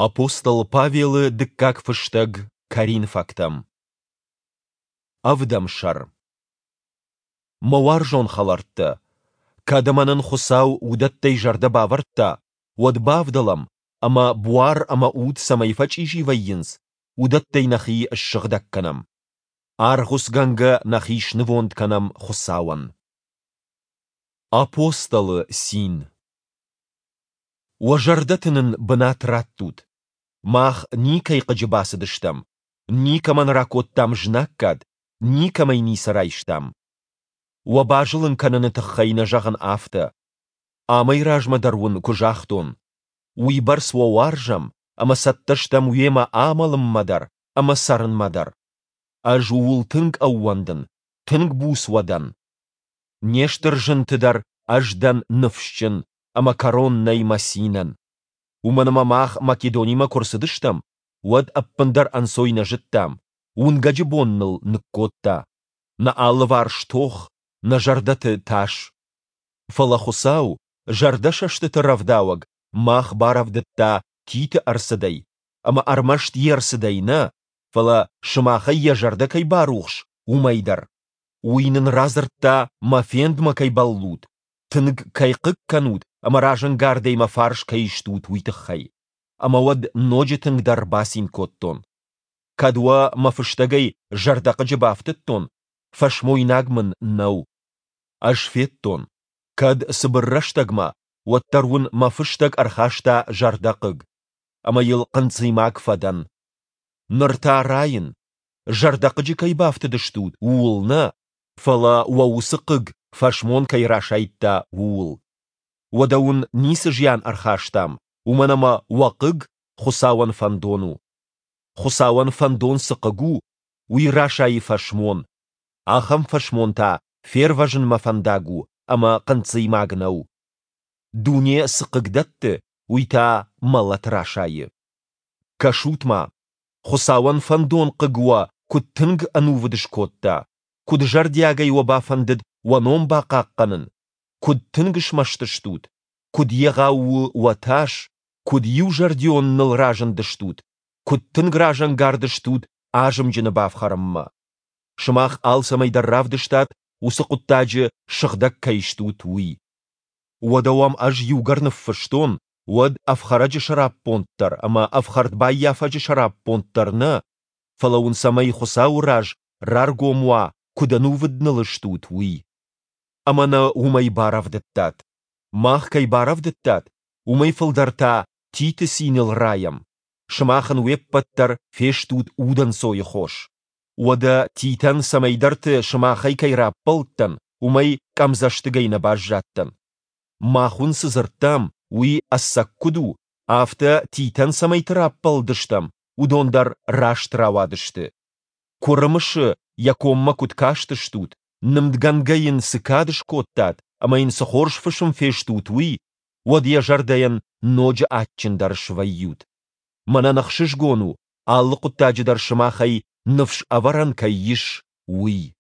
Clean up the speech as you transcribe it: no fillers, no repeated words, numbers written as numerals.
Апостол Павелы дыккаг фыстӕг Коринфӕгтӕм. Ӕвдӕм сӕр. Мӕ уарзон хӕлӕрттӕ, кӕд ӕмӕ нын Хуыцау уыдӕттӕй зӕрдӕ бавӕрдта, уӕд бавдӕлӕм, ӕмӕ буар ӕмӕ уд цӕмӕй фӕчъизи вӕййынц, уыдӕттӕй нӕхи ссыгъдӕг кӕнӕм. Аргъуыцгӕнгӕ нӕхи снывонд кӕнӕм Хуыцауӕн. Апостолы цин. Уӕ зӕрдӕты нын бынат раттут. Мах никӕй хъыджы бацыдыстӕм, никӕмӕн ракодтам знаггад, никӕмӕй ницы райстам. Уӕ базылын кӕныны тыххӕй нӕ зӕгъын афтӕ. Амӕй размӕ дӕр уын куы загътон, уыйбӕрц уӕ уарзӕм ӕмӕ цӕттӕ стӕм уемӕ амӕлынмӕ дӕр ӕмӕ цӕрынмӕ дӕр. Ӕз ууыл тынг ӕууӕндын, тынг буц уӕ дӕн. Не стыр зынты дӕр ӕз дӕн ныфсджын, ӕмӕ кӕрон нӕй мӕ цинӕн. Уымӕн ӕмӕ мах Македонимӕ куы рцыдыстӕм, уӕд ӕппындӕр ӕнцой нӕ зыдтам, уынгӕджы бон ныл ныккодта. Нӕ алыварс тох, нӕ зӕрдӕты тас. Фӕлӕ Хуыцау, зӕрдӕсӕстыты рӕвдауӕг, мах барӕвдыдта Титы ӕрцыдӕй, ӕмӕ ӕрмӕст йе рцыдӕй нӕ, фӕлӕ сымахӕй йӕ зӕрдӕ кӕй барухс, уымӕй дӕр. Уый нын радзырдта, мӕ фендмӕ кӕй бӕллут, тынг кӕй хъыг кӕнут ӕмӕ разӕнгардӕй мӕ фарс кӕй стут, уый тыххӕй. Ӕмӕ уӕд ноджы тынгдӕр бацин кодтон. Кӕд уӕ мӕ фыстӕгӕй зӕрдӕхъыджы бафтыдтон, фӕсмойнаг мын нӕу. Ӕз федтон, кӕд цыбыр рӕстӕгмӕ, уӕддӕр уын мӕ фыстӕг ӕрхаста зӕрдӕхъыг, ӕмӕ йыл хъынцъыймаг фӕдӕн. Ныр та райын, зӕрдӕхъыджы кӕй бафтыдыстут, ууыл нӕ, фӕлӕ уӕ уыцы хъыг фӕсмон кӕй расайдта, ууыл. Уӕдӕ уын ницы зиан ӕрхастам, уымӕн ӕмӕ уӕ хъыг Хуыцауӕн фӕндон у. Хуыцауӕн фӕндон цы хъыг у, уый расайы фӕсмон. Ахӕм фӕсмон та фервӕзынмӕ фӕндаг у ӕмӕ хъынцъыймаг нӕу. Дуне цы хъыг дӕтты, уый та мӕлӕт расайы. Кӕсут-ма, Хуыцауӕн фӕндон хъыг уӕ куыд тынг ӕнувыд скодта, куыд зӕрдиагӕй уӕ бафӕндыд уӕ ном бахъахъхъӕнын, куыд тынг смӕсты стут, куыд егъау у уӕ тас, куыд иузӕрдион ныл разындыстут, куыд тынг разӕнгард стут азымджыны бафхӕрынмӕ. Сымах алцӕмӕй дӕр равдыстат, уыцы хъуыддаджы сыгъдӕг кӕй стут, уый. Уӕдӕ уӕм ӕз иугӕр ныффыстон, уӕд ӕфхӕрӕджы сӕраппонд дӕр ӕмӕ ӕфхӕрдбаййафӕджы сӕраппонд дӕр нӕ, фӕлӕ уын цӕмӕй Хуыцауы раз раргом уа, куыд ӕнувыд ныл стут, уый. Ӕмӕ нӕ уымӕй барӕвдыдтат. Мах кӕй барӕвдыдтат, уымӕй фылдӕр та Титы циныл райӕм. Сымах ын уе ппӕт дӕр фестут удӕнцойы хос. Уӕдӕ Титӕн цӕмӕйдӕрты сымахӕй кӕй раппӕлыдтӕн, уымӕй къӕмдзӕстыгӕй нӕ баззадтӕн. Мах уын цы дзырдтам, уый ӕцӕг куыд у, афтӕ Титӕн цӕмӕйты раппӕлыдыстӕм, уыдон дӕр раст рауадысты. Куы рымысы, йӕ коммӕ куыд кастыстут, нымдгӕнгӕ йын цы кад скодтат ӕмӕ йын цы хорз фысым фестут, уый, уӕд йӕ зӕрдӕйӕн ноджы адджындӕр свӕййут. Мӕнӕн ӕхсызгон у, алы хъуыддаджы дӕр сымахӕй ныфс ӕвӕрӕн кӕй ис, уый.